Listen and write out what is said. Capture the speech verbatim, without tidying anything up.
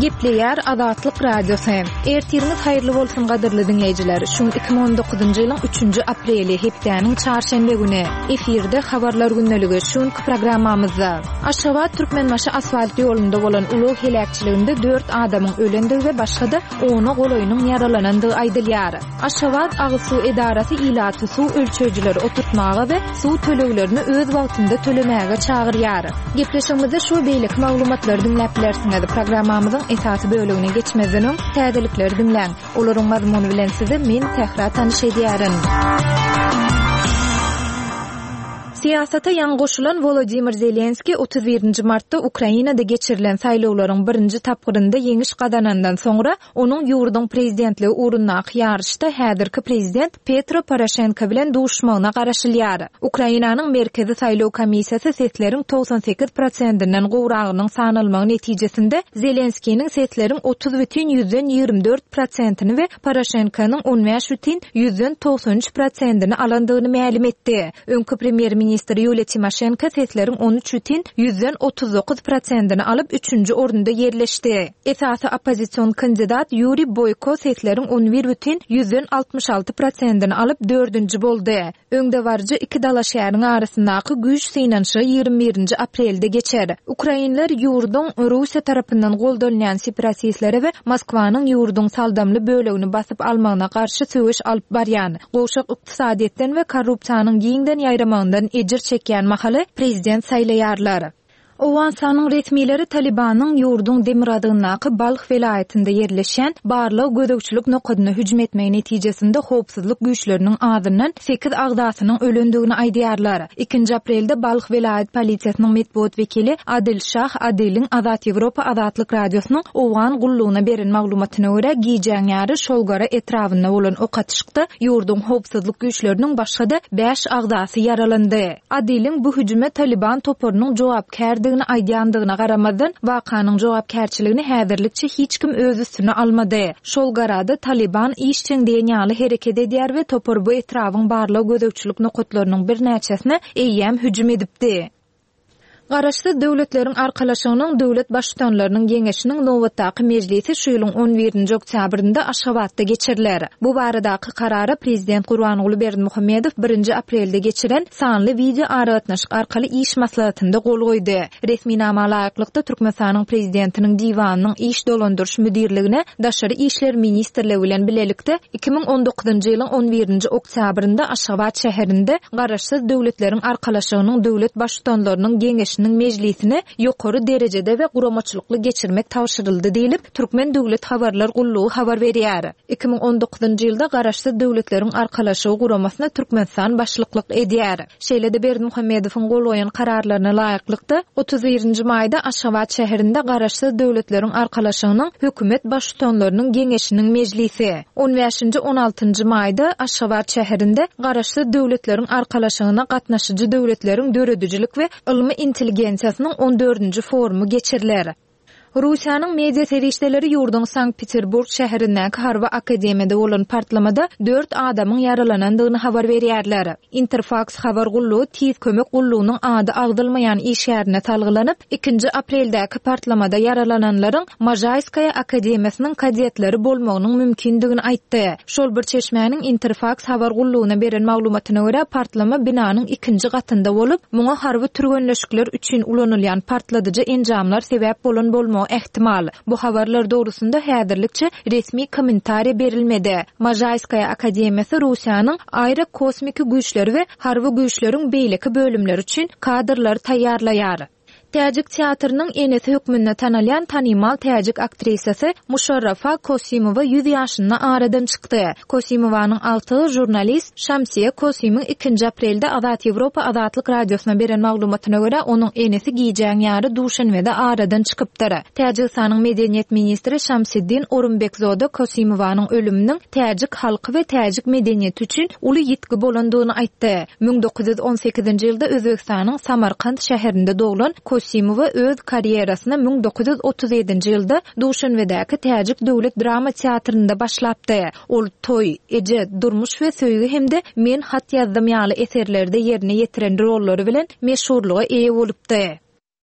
Gepleýär Azatlyk Radiosy. Ertiriňiz haýyrly bolsun gadyrly diňleýjiler. Şu gün iki müň on dokuzynjy ýylyň üçünji apreli, hepdäniň çarşenbe güni. Efirde habarlar gündeligi şu günki programmamyzda. Aşgabat Türkmenbaşy asfalt ýolunda bolan ulag heläkçiliginde dört adamyň ölendigi we başga-da ona golaýynyň ýaralanandygy aýdylýar. Aşgabat agyz suw edarasy ilaty suw ölçeýjileri oturtmaga we suw töleglerini öz wagtynda tölemäge çagyrýar. Gepleşigimizde şu we beýleki maglumatlary diňläp bilersiňiz. Programmamyzyň esasy bölegine geçmezden öň täzelikleri diňläň. Olaryň mazmuny bilen sizi men Sähra tanyş edýärin. Syýasata ýaňy goşulan Wolodymyr Zelenskiý otuz birinji martda Ukrainada geçirilen saýlawlaryň birinji tapgyrynda ýeňiş gazanandan soňra onuň ýurduň prezidentligi ugrundaky ýaryşda häzirki prezident Petro Poroşenko bilen duşmagyna garaşylýar. Ukrainanyň Merkezi saýlaw komissiýasy sesleriň togsan sekiz prosentinden gowragynyň sanalmagy netijesinde Zelenskiniň sesleriň otuz bütin ýüzden ýigrimi dört prosentini we Poroşenkonyň on bäş bütin ýüzden togsan üç prosentini alandygyny mälim etdi. Öňki premýer-ministr Ýuliýa Timoşenko sesleriň on üç bütin ýüzden otuz dokuz prosentini alyp üçünji orunda ýerleşdi. Esasy oppozision kandidat Ýuriý Boýko sesleriň on bir bütin ýüzden altmyş alty prosentini alyp dördünji boldy. Öňdebaryjy iki dalaşgäriň arasyndaky güýç synanyşygy ýigrimi birinji aprelde geçer. Ukrainler ýurduň Russiýa tarapyndan goldalýan separatistlere we Moskwanyň ýurduň saldamly bölegini basyp almagyna garşy söweş alyp barýan, gowşak ykdysadyýetden we korrupsiýanyň giňden ýaýramagyndan ejir çekýän mahaly prezident saýlaýarlar. Owganystanyň resmileri Talibanyň ýurduň demirgazygyndaky Balh welaýatynda ýerleşýän barlag gözegçilik nokadyna hüjüm etmegi netijesinde howpsuzlyk güýçleriniň azyndan sekiz agzasynyň ölendigini aýdýarlar. Ikinji aprelde Balh welaýat polisiýasynyň metbugat wekili Adil Şah Adiliň Azat Ýewropa Azatlyk Radiosynyň Owgan gullugyna beren maglumatyna görä gijäň ýary Şolgara etrabynda bolan ok atyşykda ýurduň howpsuzlyk güýçleriniň başga-da bäş agzasy ýaralandy. Adiliň bu hüjüme Taliban toparynyň jogapkärdigini aýdýandygyna garamazdan, wakanyň jogapkärçiligini häzirlikçe hiç kim öz üstüne almady. Şol garada Taliban işjeň diýen ýaly hereket edýär we topar bu etrabyň barlag gözegçilik nokatlarynyň birnäçesine eýýäm hüjüm edipdi. Garaşsyz döwletleriň arkalaşygynyň döwlet baştutanlarynyň geňeşiniň nobatdaky mejlisi şu ýylyň on birinji oktýabrynda Aşgabatda geçiriler. Bu baradaky karara prezident Gurbanguly Berdimuhamedow birinji aprelde geçiren sanly wideo aragatnaşyk arkaly iş maslahatynda gol goýdy. Resminama laýyklykda Türkmenistanyň prezidentiniň diwanynyň iş dolandyryş müdirligine Daşary işler ministrligi bilen bilelikde iki müň on dokuzynjy ýylyň on birinji oktýabrynda Aşgabat şäherinde Garaşsyz döwletleriň arkalaşygynyň döwlet baştutanlarynyň geňeşiniň mejlisini ýokary derejede we guramaçylykly geçirmek tabşyryldy diýlip, Türkmen Döwlet Habarlar Gullugy habar berýär. Iki müň on dokuzynjy ýylda Garaşsyz Döwletleriň Arkalaşygy guramasyna Türkmenistan başlyklyk edýär. Şeýle-de Berdimuhamedowyň gol goýan kararlaryna laýyklykda otuz birinji maýda Aşgabat şäherinde Garaşsyz Döwletleriň Arkalaşygynyň hökümet baştutanlarynyň geňeşiniň mejlisi, on bäşinji on altynjy maýda Aşgabat şäherinde Garaşsyz Döwletleriň Arkalaşygyna gatnaşyjy döwletleriň döredijilik we ylmy intelligensiýasynyň on dördünji forumy geçiriler. Russiýanyň media serişdeleri ýurduň Sankt-Peterburg şäherindäki harby akademiýada bolan partlamada dört adamyň ýaralanandygyny habar berýärler. Interfax habar gullugy tiz kömek gullugynyň ady agzylmaýan işgärine salgylanyp, ikinji apreldäki partlamada ýaralananlaryň Mažaýskaýa akademiýasynyň kadetleri bolmagynyň mümkindigini aýtdy. Şol bir çeşmäniň Interfax habar gullugyna beren maglumatyna görä partlama binanyň ikinji gatynda bolup, muňa harby türgenleşikler üçin ulanylýan partladyjy enjamlar sebäp bolan bolmagy ehtimal. Bu habarlar dogrusynda häzirlikçe resmi kommentariýa berilmedi. Mažaýskaýa akademiýasy Russiýanyň aerokosmiki güýçleri we harby güýçleriň beýleki bölümleri üçin kadrlary taýýarlaýar. Täjik teatrynyň enesi hökmünde tanalýan tanymal täjik aktrisasy Muşarrafa Kosimowa ýüz ýaşynda aradan çykdy. Kosimowanyň agtygy žurnalist Şamsiýa Kosimyň ikinji aprelde Azat Ýewropa Azatlyk Radiosyna beren maglumatyna görä onuň enesi gijäň ýary Duşenbede aradan çykypdyr. Täjigistanyň medeniýet ministri Şamsiddin Orumbekzoda Kosimowanyň ölüminiň täjik halky we täjik medeniýeti üçin uly ýitgi bolandygyny aýtdy. Müň dokuz ýüz on sekizinji ýylda Özbegistanyň Samarkand şäherinde doglan Kosimowa öz karýerasyna müň dokuz ýüz otuz ýedinji ýylda Duşenbedäki Täjik Döwlet Drama Teatrynda başlapdy. Ol Toý, Eje, Durmuş we Söýgi hem-de Men hat ýazdym ýaly eserlerde ýerine ýetiren rollary bilen meşhurlyga eýe bolupdy.